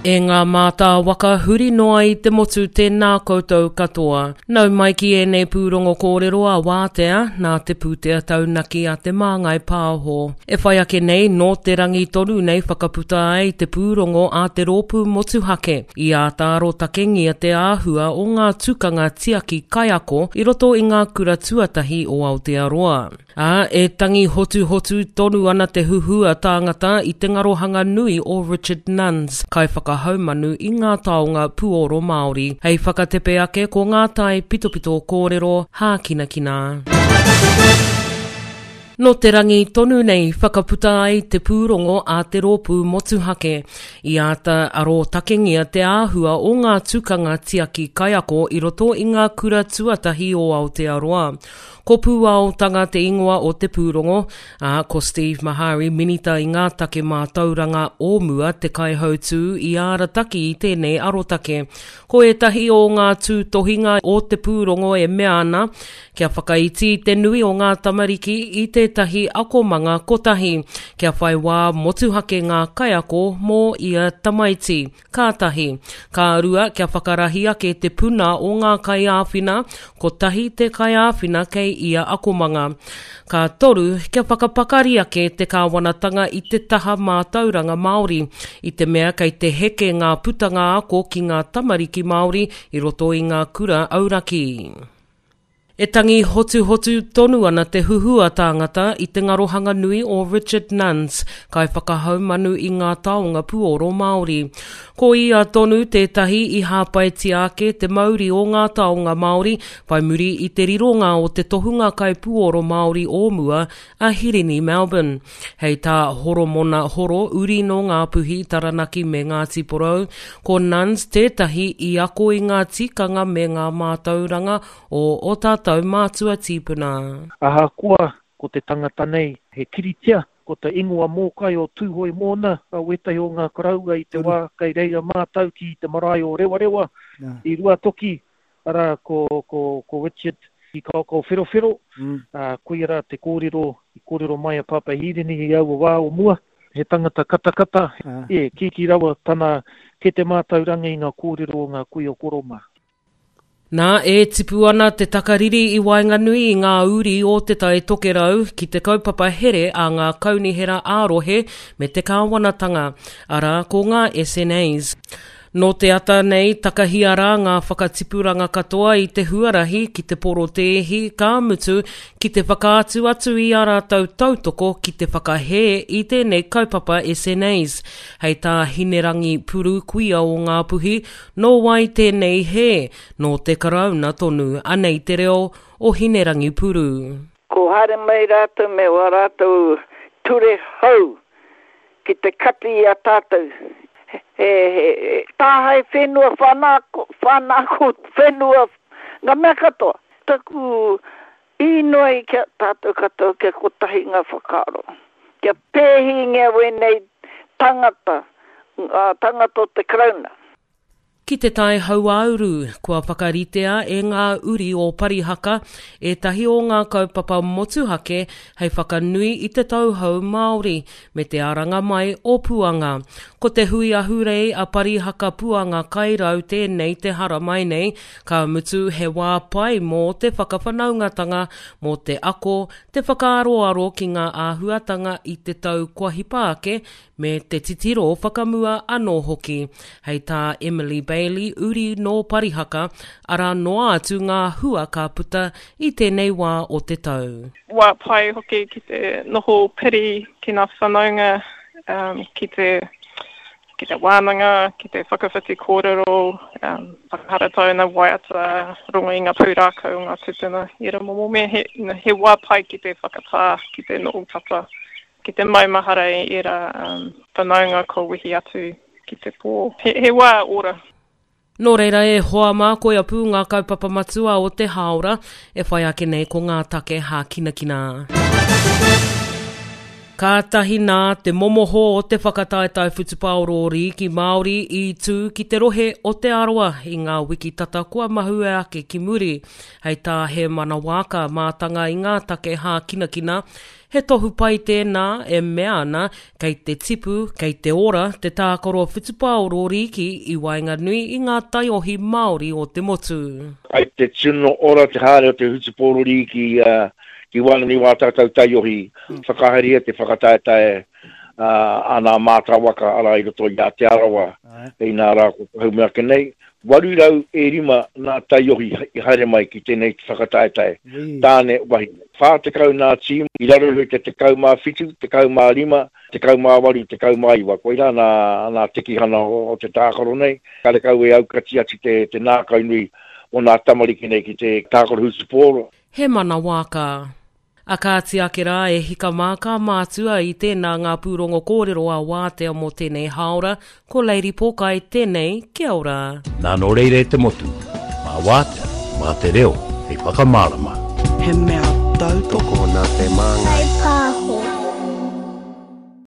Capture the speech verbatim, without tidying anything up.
E ngā mātāwaka huri noa i te motu tēnā koutou katoa. Nau mai ki ēnei pūrongo kōrero a Wātea, nā te pūtea taunaki a Te Māngai Pāho. E whai ake nei, nō te rangi tonu nei whakaputa ai te pūrongo a te rōpū motuhake. I āta arotakengia te āhua o ngā tukanga tiaki kaiako i roto i ngā kura tuatahi o Aotearoa. Ā, e tangi hotuhotu tonu ana te huhua tāngata i te ngarohanga nui o Richard Nunns, kaiwhakahaumanu i ngā taonga puoro Māori. Hei whakatepe ake ko ngā tai pitopito kōrero hākinakina. Nō te rangi tonu nei whakaputa ai te pūrongo a te rōpū motuhake. I āta arotakengia te āhua o ngā tukanga tiaki kaiako i roto i ngā kura tuatahi o Aotearoa. Ko Pūaotanga te ingoa o te pūrongo, ā, ko Steve Mahari minita i ngā take mātauranga o mua te kaihautū i arataki i tēnei arotake. Ko ētahi o ngā tūtohinga o te pūrongo e mea ana, kia whakaiti te nui o ngā tamariki i tētahi akomanga kotahi, kia whai wā motuhake ngā kaiako mō ia tamaiti. Ka tahi. Ka rua, kia whakarahi ake te puna o ngā kaiāwhina, kotahi te kaiāwhina kei ia akomanga. Ka toru, kia whakapakari ake te kāwanatanga i te taha mātauranga Māori, i te mea kei te heke ngā putanga ako ki ngā tamariki Māori i roto i ngā kura auraki. E tangi hotuhotu tonu ana te huhua tāngata i te ngarohanga nui o Richard Nunns, kaiwhakahaumanu i ngā taonga puoro Māori. Ko ia tonu tētahi i hāpaitia ake te mauri o ngā taonga Māori whai muri i te rironga o te tohunga kaipuoro Māori o mua a Hirini Melbourne. Hei tā Horomona Horo, uri nō Ngāpuhi, Taranaki me Ngāti Porou, ko Nunns tētahi i ako i ngā tikanga me ngā mātauranga o ō tātou mātua tīpuna. Ahakoa ko te tangata nei he kiritia, ko te ingoa mōkai o Tūhoe mōna, a wētahi o ngā koroua i te wā kei reira mātau ki te marae o Rewarewa i Ruatoki, arā ko, ko, ko Richard i Kaokao Wherowhero, mm. ā, koia rā te kōrero i kōrero mai a Pāpā Hirini i aua wā o mua, he tangata katakata, e, kīkī rawa tana kete mātauranga i ngā kōrero o ngā kuia koro mā. Nā, e tipu ana te takariri i waenganui i ngā uri o Te Tai Tokerau ki te kaupapa here a ngā kaunihera ā-rohe me te kāwanatanga, arā, ko ngā S N As. Nō te ata nei, takahia rā ngā whakatipuranga katoa i te huarahi ki te porotēhi, ka mutu ki te whakaatu atu i ā rātou tautoko ki te whakahē i tēnei kaupapa S N As. Hei tā Hinerangi Puru kuia o Ngāpuhi, nō wai tēnei hē, nō te Karauna tonu, anei te reo o Hinerangi Puru. Ko haere mai rātou me wā rātou ture hou ki te kati i a tātou. He, he, tāhae whenua, whanako, whanako whenua, ngā mea katoa. Taku inoi kia tātou katoa kia kotahi ngā whakaaro. Kia pēhingia wēnei tangata, ngā tangata o te Karauna. Ki te tai hauāuru, kua whakaritea e ngā uri o Parihaka ētahi o ngā kaupapa motuhake hei whakanui i te tauhou Māori me te aranga mai o Puanga. Ko te hui ahurei a Parihaka Puanga Kairau tēnei te haramai nei, ka mutu he wā pai mō te whakawhanaungatanga, mō te ako, te whakaaroaro ki ngā āhuatanga i te tau kua hipa ake me te titiro whakamua anō hoki. Hei tā Emily Bailey, uri nō Parihaka, arā noa atu ngā hua ka puta i tēnei wā o te tau. Wā pai hoki ki te noho piri ki ngā whanaunga, um, ki te, ki te wānanga, ki te whakawhiti kōrero, um, whakaharatau ngā waiata, rongo i ngā pūrākau o ngā tūpuna. I era momo mea, he, he wā pai ki te whakatā, ki te noho tata, ki te maumahara i era um, whanaunga ko wehi atu ki te pō. He, he wā ora. Nō reira e hoa mā koia pū ngā kaupapa matua o te hāora, e whai ake nei ko ngā take hākinakina. Kātahi nā te momoho o te whakataetae whutupaoro rīki Māori i tū ki te rohe o Te Arawa i ngā wiki tata kua mahue ake ki muri. Hei tā Hēmana Waaka, mātanga i ngā take hākinakina, He tohu pai tēnā e mea ana kei te tipu, kei te ora te tākaro whutupaoro rīki i waenganui i ngā taiohi Māori o te motu. Kei te tino ora te haere o te whutupōro rīki ki waenganui wā tātou taiohi, whakahaeria te whakataetae a nā mātāwaka ara i roto i a Te Arawa, inā rā ko pahume ake nei, waru rau e rima nā taiohi i haere mai ki tēnei whakataetae, tāne wahine. Whā tekau nā tīma i raro iho i te tekau mā whitu, tekau mā rima, tekau mā waru, tekau mā iwa. Koirā nā, nā tekihana o, o te tākaro nei. Karekau e aukati atu te, te nākau nui o nā tamariki nei ki te tākaro hutupōro. He mana wāka. A kāti ake rā e hika mā kā mātua i tēnā ngā pūrongo kōrero a Wātea mō tēnei hāora, ko Lady Pōkai tēnei, kia ora. Nā nō reira e te motu, mā Wātea, mā te reo, hei whakamārama. He mea tautoko nā te māngai.